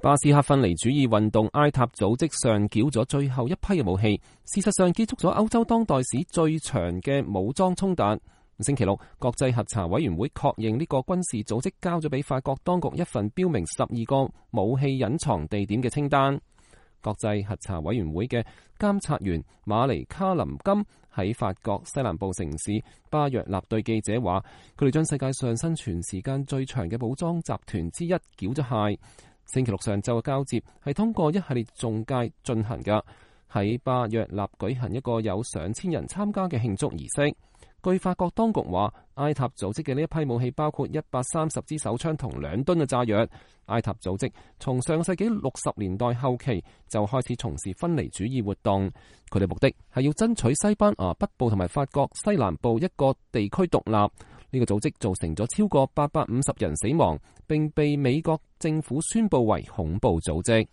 巴斯克分離主義運動埃塔組織上繳咗最後一批嘅武器，事實上結束咗歐洲當代史最長嘅武裝衝突。星期六，國際核查委員會確認呢個軍事組織交咗俾法國當局一份標明12個武器隱藏地點嘅清單。國際核查委員會嘅監察員馬尼卡林金喺法國西南部城市巴約納對記者話，佢哋將世界上生存時間最長嘅武裝集團之一繳咗械。星期六上晝嘅交接係通過一系列中介進行嘅，喺巴約納舉行一個有上千人參加嘅慶祝儀式。據法國當局話，埃塔組織嘅呢一批武器包括130支手槍同2噸嘅炸藥。埃塔組織從上世紀60年代後期就開始從事分離主義活動，佢哋目的係要爭取西班牙北部同埋法國西南部一個地區獨立。呢個組織造成咗超過850人死亡，並被美國政府宣布為恐怖組織。